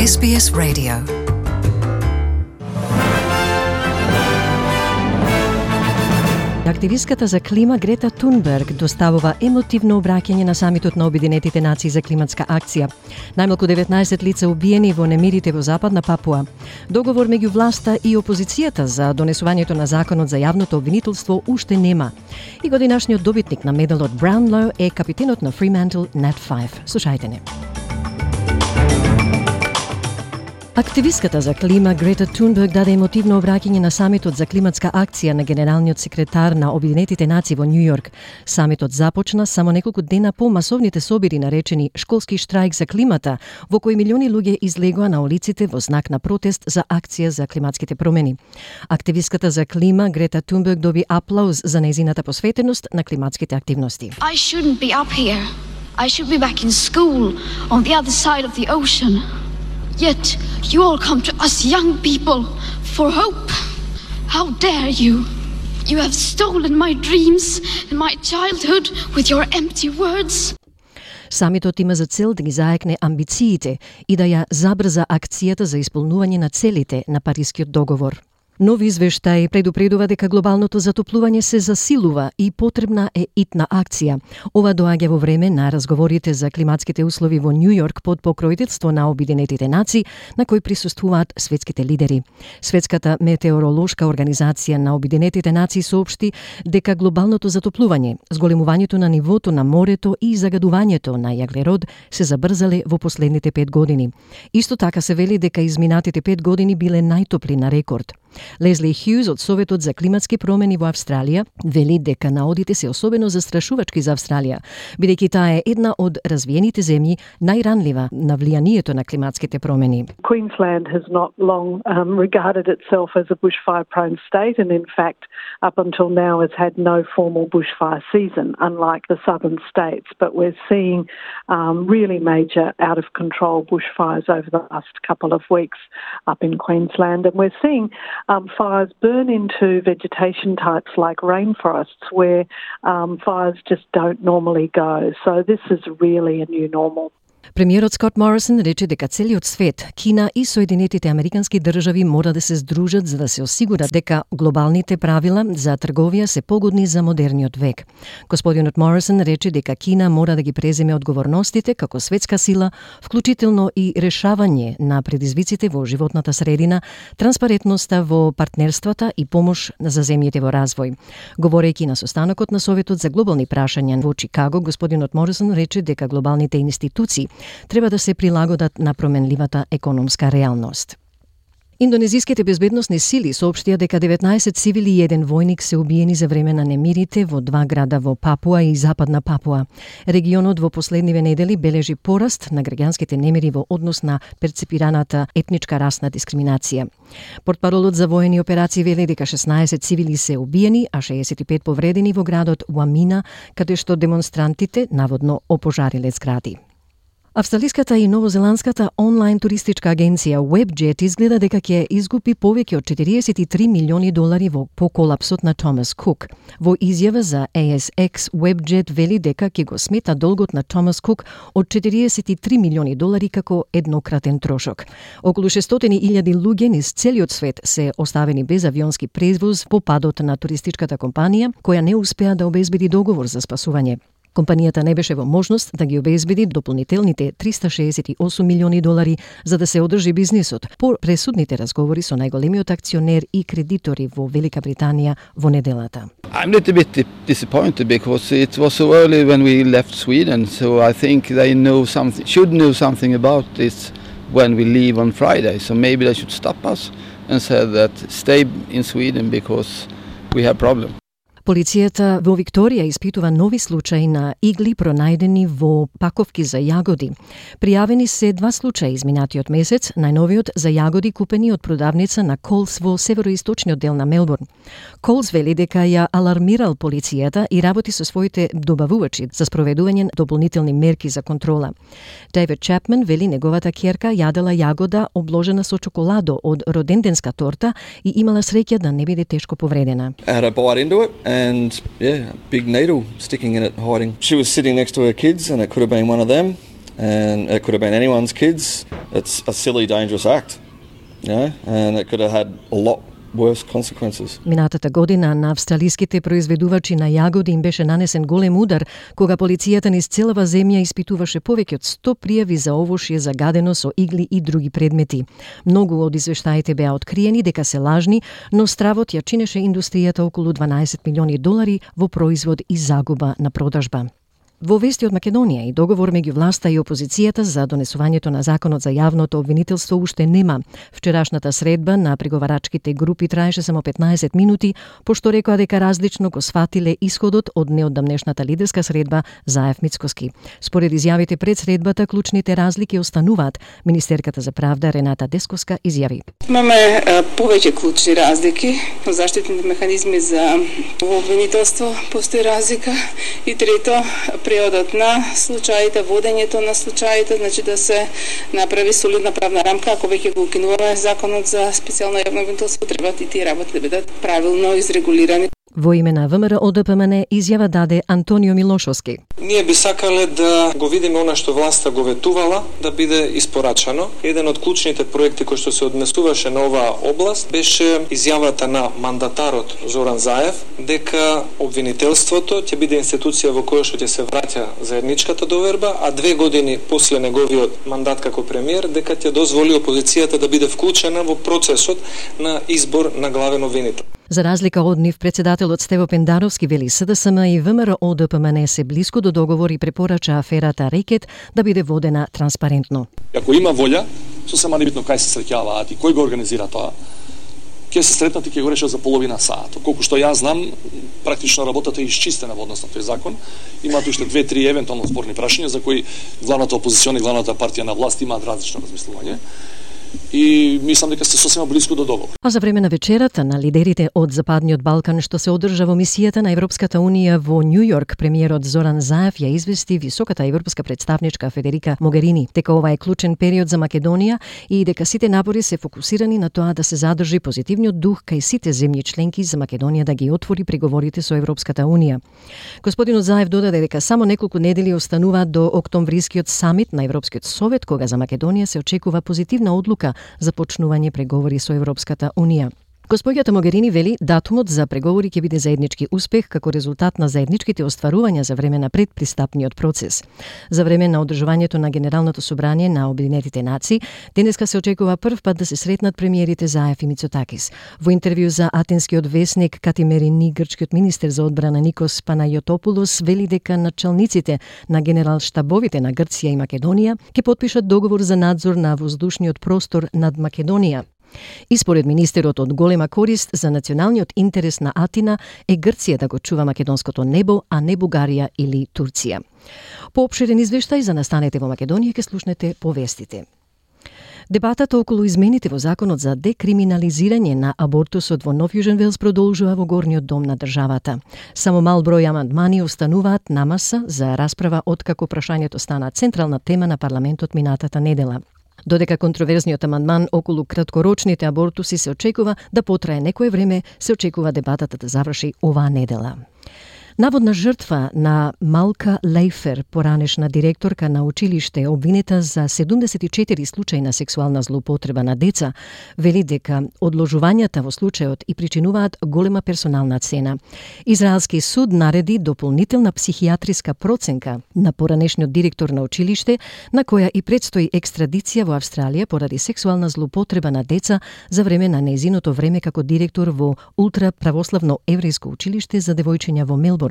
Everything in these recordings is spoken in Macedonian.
SBS Radio. Активистката за клима Грета Тунберг доставува емотивно обраќање на самитот на Обединетите нации за климатска акција. Најмалку 19 лица убиени во немирите во Западна Папуа. Договор меѓу власта и опозицијата за донесувањето на законот за јавното обвинителство уште нема. И годинашниот добитник на медалот Brownlow е капитенот на Fremantle Nat 5. Слушајте не. Активистката за клима Грета Тунберг даде емотивно обраќање на самитот за климатска акција на генералниот секретар на Обединетите нации во Њу Јорк. Самитот започна само неколку дена по масовните собири наречени школски штрајк за климата, во кои милиони луѓе излегоа на улиците во знак на протест за акција за климатските промени. Активистката за клима Грета Тунберг доби аплауз за нејзината посветеност на климатските активности. I shouldn't be up here. I should be back in school on the other side of the ocean. Yet you all come to us young people for hope. How dare you? You have stolen my dreams and my childhood with your empty words. Самитот има за цел да ги заекне амбициите и да ја забрза акцијата за исполнување на целите на Парискиот договор. Нови извештаи предупредува дека глобалното затоплување се засилува и потребна е итна акција. Ова доаѓа во време на разговорите за климатските услови во Њу Јорк под покровителство на Обединетите нации, на кои присуствуваат светските лидери. Светската метеоролошка организација на Обединетите нации соопшти дека глобалното затоплување, зголемувањето на нивото на морето и загадувањето на јаглерод се забрзале во последните 5 години. Исто така се вели дека изминатите 5 години биле најтопли на рекорд. Лезли Хјуз од Советот за климатски промени во Австралија вели дека наодите се особено застрашувачки за Австралија, бидејќи таа е една од развиените земји најранлива на влијанието на климатските промени. Queensland has not long regarded itself as a bushfire-prone state, and in fact, up until now has had no formal bushfire season, unlike the southern states. But we're seeing really major out-of-control bushfires over the last couple of weeks up in Queensland, and we're seeing fires burn into vegetation types like rainforests where fires just don't normally go. So this is really a new normal. Премиерот Скот Морисон рече дека целиот свет, Кина и Соединетите Американски држави мора да се здружат за да се осигурат дека глобалните правила за трговија се погодни за модерниот век. Господинот Морисон рече дека Кина мора да ги преземе одговорностите како светска сила, вклучително и решавање на предизвиците во животната средина, транспарентноста во партнерствата и помош за земјите во развој. Говорејќи на состанокот на Советот за глобални прашања во Чикаго, господинот Морисон рече дека глобалните институции треба да се прилагодат на променливата економска реалност. Индонезиските безбедносни сили соопштија дека 19 цивили и 1 војник се убиени за време на немирите во 2 града во Папуа и Западна Папуа. Регионот во последниве недели бележи пораст на граѓанските немири во однос на перцепираната етничка расна дискриминација. Портпаролот за воени операции вели дека 16 цивили се убиени, а 65 повредени во градот Уамина, каде што демонстрантите наводно опожариле згради. Австралиската и новозеландската онлайн туристичка агенција WebJet изгледа дека ќе изгуби повеќе од 43 милиони долари по колапсот на Томас Кук. Во изјава за ASX, WebJet вели дека ќе го смета долгот на Томас Кук од 43 милиони долари како еднократен трошок. Околу 600.000 луѓе низ целиот свет се оставени без авионски превоз по падот на туристичката компанија, која не успеа да обезбеди договор за спасување. Компанијата не беше во можност да ги обезбеди дополнителните 368 милиони долари за да се одржи бизнисот по пресудните разговори со најголемиот акционер и кредитори во Велика Британија во неделата. I'm a little bit disappointed because it was so early when we left Sweden, so I think they should know something about this when we leave on Friday. So maybe they should stop us and say that stay in Sweden because we have problem. Полицијата во Викторија испитува нови случаи на игли пронајдени во паковки за јагоди. Пријавени се 2 случаи изминатиот месец, најновиот за јагоди купени од продавница на Колс во североисточниот дел на Мелбурн. Колс вели дека ја алармирал полицијата и работи со своите добавувачи за спроведување дополнителни мерки за контрола. Дейвид Чапман вели неговата ќерка јадела јагода обложена со чоколадо од роденденска торта и имала среќа да не биде тешко повредена. And yeah, a big needle sticking in it, hiding. She was sitting next to her kids and it could have been one of them. and it could have been anyone's kids. It's a silly, dangerous act, and it could have had a lot worse consequences. Минатата година на австралиските произведувачи на јагоди им беше нанесен голем удар, кога полицијата низ целава земја испитуваше повеќе од 100 пријави за овошје загадено со игли и други предмети. Многу од извештаите беа откриени дека се лажни, но стравот ја чинеше индустријата околу $12 милиони во производ и загуба на продажба. Во вести од Македонија и договор меѓу власта и опозицијата за донесувањето на законот за јавното обвинителство уште нема. Вчерашната средба на преговарачките групи траеше само 15 минути, пошто рекоа дека различно го сфатиле исходот од неодамнешната лидерска средба Заев-Мицкоски. Според изјавите пред средбата, клучните разлики остануваат. Министерката за правда Рената Десковска изјави: Имаме повеќе клучни разлики. Заштитните механизми за обвинителство постои разлика и трето, преодот на случаите, водењето на случаите, значи да се направи солидна правна рамка. Ако веќе го укинуваме законот за специјално јавно обвинителство, треба и тие работи да бидат правилно изрегулирани. Во име на ВМРО-ДПМН изјава даде Антонио Милошовски. Ние би сакале да го видиме она што власта го ветувала, да биде испорачано. Еден од клучните проекти кој што се однесуваше на оваа област беше изјавата на мандатарот Зоран Заев дека обвинителството ќе биде институција во која што ќе се враќа заедничката доверба, а 2 години после неговиот мандат како премиер дека ќе дозволи опозицијата да биде вклучена во процесот на избор на главен обвинител. За разлика од нив, председателот Стево Пендаровски вели СДСМ и ВМРО-ДПМН се блиску до договор и препорача аферата Рекет да биде водена транспарентно. Ако има волја, сосема небитно кај се среќаваат и кој го организира тоа, ќе се сретнат и ќе го решат за половина сат. Колку што јас знам, практично работата е исчистена во однос на тој закон. Имаат уште 2-3 евентуално спорни прашања за кои главната опозициона и главната партија на власт имаат различно размислување. И мислам дека се сосема близко до договор. А за време на вечерата на лидерите од Западниот Балкан што се одржа во мисијата на Европската Унија во Њу Јорк, премиерот Зоран Заев ја извести високата европска представничка Федерика Могерини дека ова е клучен период за Македонија и дека сите напори се фокусирани на тоа да се задржи позитивниот дух кај сите земји членки за Македонија да ги отвори преговорите со Европската Унија. Господинот Заев додаде дека само неколку недели остануваат до октомврискиот самит на Европскиот совет, кога за Македонија се очекува позитивна одлука за почнување преговори со Европската Унија. Госпоѓата Могерини вели датумот за преговори ќе биде заеднички успех како резултат на заедничките остварувања за време на предпристапниот процес. За време на одржувањето на Генералното собрание на Обединетите нации, денеска се очекува прв пат да се сретнат премиерите Заев и Мицотакис. Во интервју за атенскиот весник Катимерини, грчкиот министер за одбрана Никос Панајотопулос вели дека началниците на генерал-штабовите на Грција и Македонија ќе потпишат договор за надзор на воздушниот простор над Македонија. И според министерот од голема корист за националниот интерес на Атина е Грција да го чува македонското небо, а не Бугарија или Турција. Поопширен извештај за настанете во Македонија ќе слушнете по вестите. Дебатата околу измените во законот за декриминализирање на абортусот во Нов Јужен Велс продолжува во горниот дом на државата. Само мал број амандмани остануваат на маса за расправа откако прашањето стана централна тема на парламентот минатата недела. Додека контроверзниот амандман околу краткорочните абортуси се очекува да потрае некое време, се очекува дебатата да заврши оваа недела. Наводна жртва на Малка Лейфер, поранешна директорка на училиште, обвинета за 74 случаи на сексуална злоупотреба на деца, вели дека одложувањата во случајот и причинуваат голема персонална цена. Израелски суд нареди дополнителна психијатриска проценка на поранешниот директор на училиште, на која и предстои екстрадиција во Австралија поради сексуална злоупотреба на деца за време на нејзиното време како директор во ултраправославно еврејско училиште за девојчиња во Мелбурн.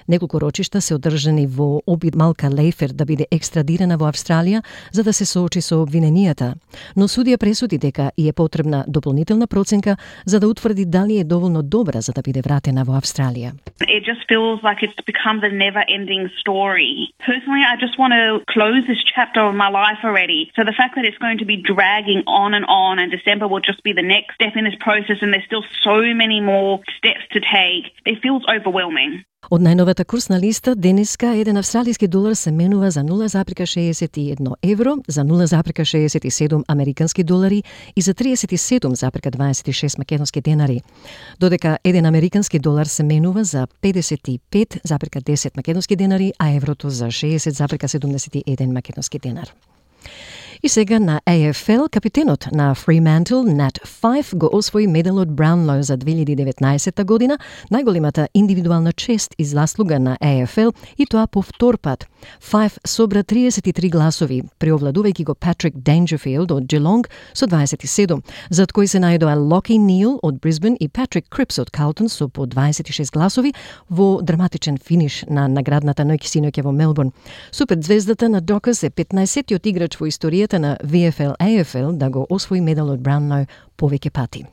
Неколку рочишта се одржани во обид Малка Лейфер да биде екстрадирана во Австралија за да се соочи со обвиненијата, но судија пресуди дека и е потребна дополнителна проценка за да утврди дали е доволно добра за да биде вратена во Австралија. It just feels like it's become the never-ending story. Personally, I just want to close this chapter of my life already. So the fact that it's going to be dragging on and December will just be the next step in this process and there's still so many more steps to take, it feels overwhelming. Од најновата курсна листа, денеска еден австралиски долар се менува за 0,61 евро, за 0,67 американски долари и за 37,26 македонски денари. Додека еден американски долар се менува за 55,10 македонски денари, а еврото за 60,71 македонски денар. И сега на AFL, капитенот на Fremantle, Nat Fyfe, го освои медалот Brownlow за 2019 година, најголемата индивидуална чест и заслуга на AFL, и тоа по втор пат. Fyfe собра 33 гласови, преовладувајќи го Patrick Dangerfield од Geelong со 27, зад кој се најдоа Lockie Neal од Brisbane и Patrick Cripps од Carlton со по 26 гласови во драматичен финиш на наградната ноќ синоќа во Мелбурн. Суперзвездата на Dockers е 15-тиот играч во историјата на VFL-AFL да го освои медалот Brownlow повеќе пати.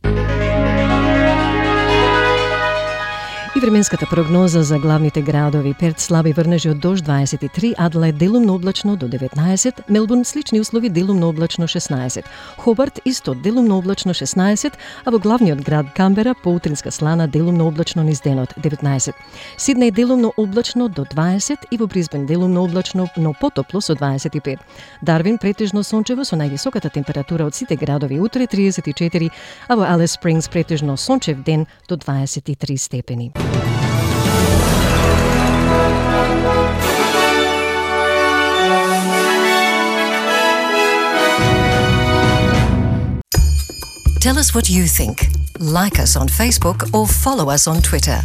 И временската прогноза за главните градови: Перт слаби врнежи од дожд 23, Аделаид делумно облачно до 19, Мелбурн слични услови делумно облачно 16, Хобарт исто делумно облачно 16, а во главниот град Камбера поутринска слана делумно облачно низ денот 19, Сиднеј делумно облачно до 20 и во Брисбен делумно облачно, но потопло со 25. Дарвин претежно сончево со највисоката температура од сите градови утре 34, а во Алис Спрингс претежно сончев ден до 23 степени. Tell us what you think. Like us on Facebook or follow us on Twitter.